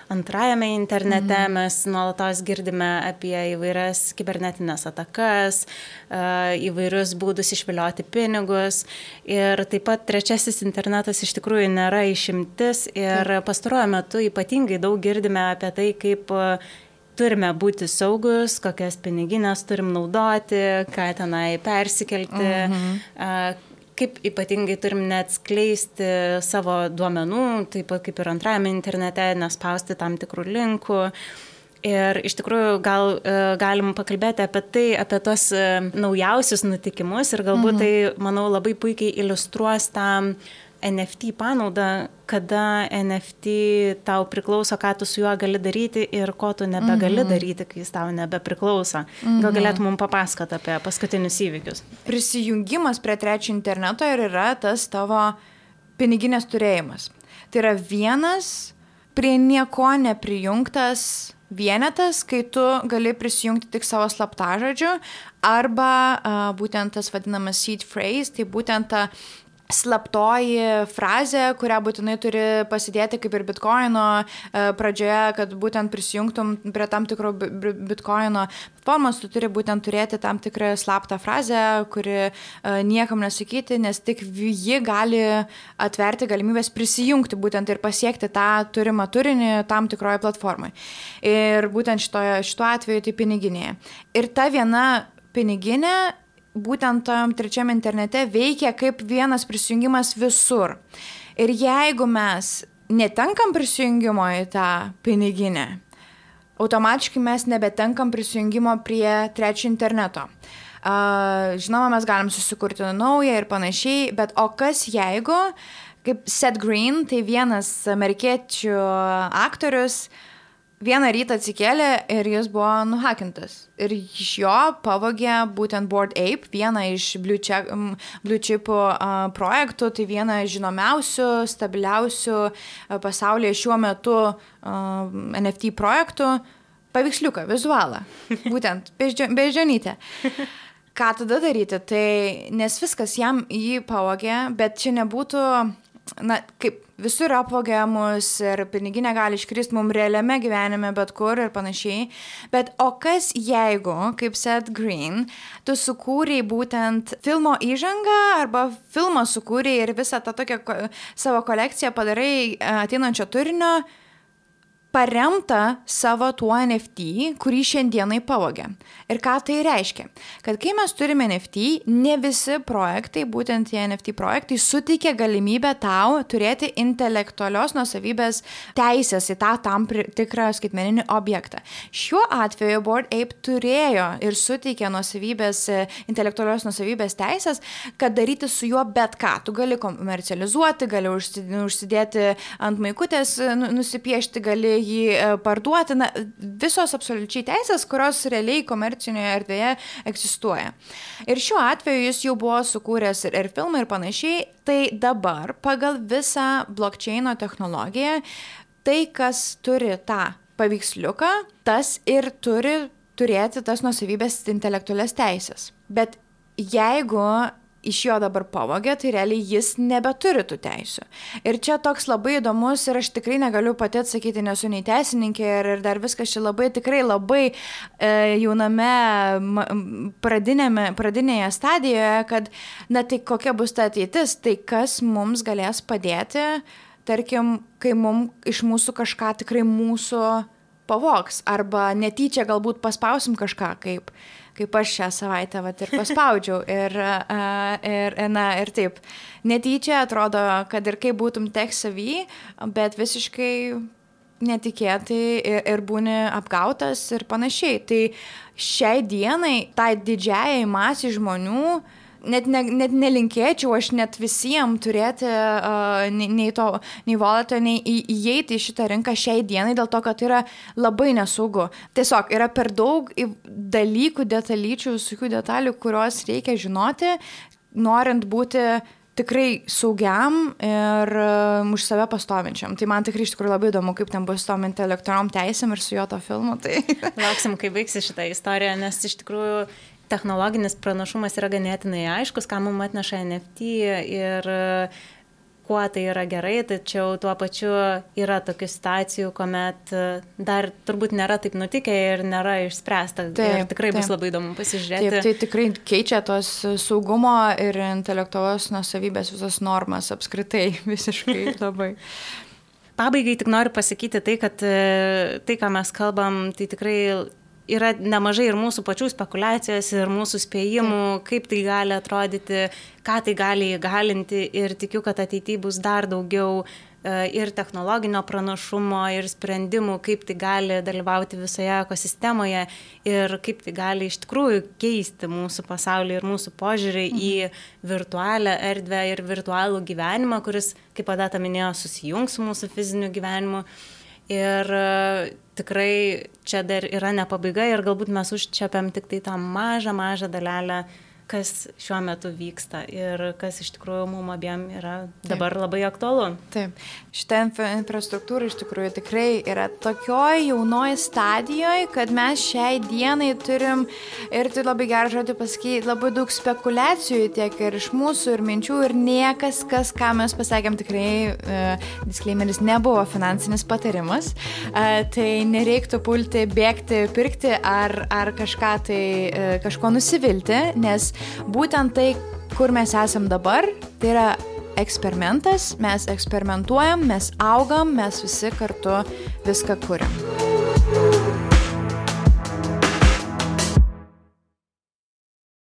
antrajame internete, mm. mes nuolatos girdime apie įvairias kibernetinės atakas, įvairius būdus išvilioti pinigus ir taip pat trečiasis internetas iš tikrųjų nėra išimtis ir pastaruoju metu ypatingai daug girdime apie tai, kaip turime būti saugus, kokias piniginės turim naudoti, ką tenai persikelti, mm-hmm. kaip ypatingai turim neatskleisti savo duomenų, taip pat kaip ir antrajame internete, nespausti tam tikrų linkų. Ir iš tikrųjų gal galim pakalbėti apie tai, apie tos naujausius nutikimus ir galbūt mhm. tai, manau, labai puikiai iliustruos tą N F T panaudą, kada N F T tau priklauso, ką tu su juo gali daryti ir ko tu nebegali mm-hmm. daryti, kai jis tau nebepriklauso. Mm-hmm. Gal galėtum mums papasakoti apie paskutinius įvykius? Prisijungimas prie trečio interneto ir yra tas tavo piniginės turėjimas. Tai yra vienas prie nieko neprijungtas vienetas, kai tu gali prisijungti tik savo slaptažodžiu arba a, būtent tas vadinamas seed phrase, tai būtent ta slaptoji frazė, kurią būtinai turi pasidėti kaip ir bitkoino pradžioje, kad būtent prisijungtum prie tam tikro bitkoino formos, tu turi būtent turėti tam tikrą slaptą frazę, kuri niekam nesakyti, nes tik ji gali atverti galimybės prisijungti būtent ir pasiekti tą turimą turinį tam tikroje platformoje. Ir būtent šitoje, šituo atveju tai piniginėje. Ir ta viena piniginė būtent tam trečiam internete veikia kaip vienas prisijungimas visur. Ir jeigu mes netenkam prisijungimo į tą piniginę, automatiškai mes nebetenkam prisijungimo prie trečio interneto. Uh, žinoma, mes galim susikurti naują ir panašiai, bet o kas jeigu, kaip Seth Green, tai vienas amerikiečių aktorius, vieną rytą atsikėlė ir jis buvo nuhakintas. Ir iš jo pavogė būtent Bored Ape, vieną iš Blue Chip, Blue Chip uh, projektų, tai vieną žinomiausių, stabiliausių uh, pasaulyje šiuo metu uh, N F T projektų, paveiksliuką, vizualą, būtent beždžionytę. Ką tada daryti? Tai, nes viskas jam jį pavogė, bet čia nebūtų, na, kaip visur apvogiamus ir piniginė gali iškristi mums realiame gyvenime, bet kur ir panašiai. Bet o kas jeigu, kaip Seth Green, tu sukūrei būtent filmo įžangą arba filmą sukūrei ir visą tą tokią savo kolekciją padarai ateinančio turinio, paremta savo tuo N F T, kurį šiandienai pavogė. Ir ką tai reiškia? Kad kai mes turime N F T, ne visi projektai, būtent tie N F T projektai, suteikia galimybę tau turėti intelektualios nuosavybės teisės į tą tam tikrą skaitmeninį objektą. Šiuo atveju Bored Ape turėjo ir suteikė nuosavybės, intelektualios nuosavybės teisės, kad daryti su juo bet ką. Tu gali komercializuoti, gali užsidėti ant maikutės, nusipiešti, gali jį parduoti, na, visos absoliučiai teisės, kurios realiai komercinėje erdvėje egzistuoja. Ir šiuo atveju jis jau buvo sukūręs ir, ir filmą ir panašiai, tai dabar pagal visą blockchaino technologiją, tai, kas turi tą paveiksliuką, tas ir turi turėti tas nuosavybės intelektualias teisės. Bet jeigu iš jo dabar pavogė, tai realiai jis nebeturi tų teisių. Ir čia toks labai įdomus ir aš tikrai negaliu pati atsakyti, nesu nei teisininkė ir, ir dar viskas čia labai, tikrai labai e, jauname pradinėme, pradinėje stadijoje, kad, na tai kokia bus ta ateitis, tai kas mums galės padėti, tarkim, kai mums iš mūsų kažką tikrai mūsų pavogs, arba netyčia galbūt paspausim kažką, kaip kaip aš šią savaitę vat, ir paspaudžiau. Ir, ir, na, ir taip, netyčia atrodo, kad ir kaip būtum tech savy, bet visiškai netikėtai ir, ir būni apgautas ir panašiai. Tai šiai dienai, tai didžiajai masiai žmonių, net, ne, net nelinkėčiau aš net visiems turėti uh, nei, nei to, nei wallet'o, nei į, įeiti į šitą rinką šiai dienai, dėl to, kad tai yra labai nesaugu. Tiesiog yra per daug dalykų, detalyčių, visokių detalių, kuriuos reikia žinoti, norint būti tikrai saugiam ir um, už save pastovinčiam. Tai man tikrai iš tikrųjų labai įdomu, kaip ten bus su tom intelektualiom teisėm ir su jo to filmu. Tai... Lauksim, kai baigsi šitą istoriją, nes iš tikrųjų technologinis pranašumas yra ganėtinai aiškus, ką mums atneša N F T ir kuo tai yra gerai, tačiau tuo pačiu yra tokių situacijų, kuomet dar turbūt nėra taip nutikę ir nėra išspręsta. Taip, ir tikrai taip. Bus labai įdomu pasižiūrėti. Taip, tai tikrai keičia tos saugumo ir intelektualios nuosavybės visas normas apskritai visiškai labai. Pabaigai tik noriu pasakyti tai, kad tai, ką mes kalbam, tai tikrai yra nemažai ir mūsų pačių spekulacijos ir mūsų spėjimų, kaip tai gali atrodyti, ką tai gali įgalinti ir tikiu, kad ateityje bus dar daugiau ir technologinio pranašumo ir sprendimų, kaip tai gali dalyvauti visoje ekosistemoje ir kaip tai gali iš tikrųjų keisti mūsų pasaulį ir mūsų požiūrį mhm. į virtualią erdvę ir virtualų gyvenimą, kuris, kaip Odeta minėjo, susijungs su mūsų fiziniu gyvenimu. Ir tikrai čia dar yra ne pabaiga ir galbūt mes užčiapiam tik tai tą mažą, mažą dalelę, kas šiuo metu vyksta ir kas iš tikrųjų mums abiem yra dabar Taip. Labai aktualu. Taip. Šitą infrastruktūrą iš tikrųjų tikrai yra tokioj jaunoj stadijoje, kad mes šiai dienai turim, ir tai labai gerą žodį pasakyti, labai daug spekulacijų tiek ir iš mūsų ir minčių ir niekas, kas, ką mes pasakėm, tikrai uh, disclaimeris nebuvo finansinis patarimas, uh, tai nereiktų pulti, bėgti, pirkti ar, ar kažką tai, uh, kažko nusivilti, nes būtent tai, kur mes esam dabar, tai yra eksperimentas, mes eksperimentuojam, mes augam, mes visi kartu viską kuriam.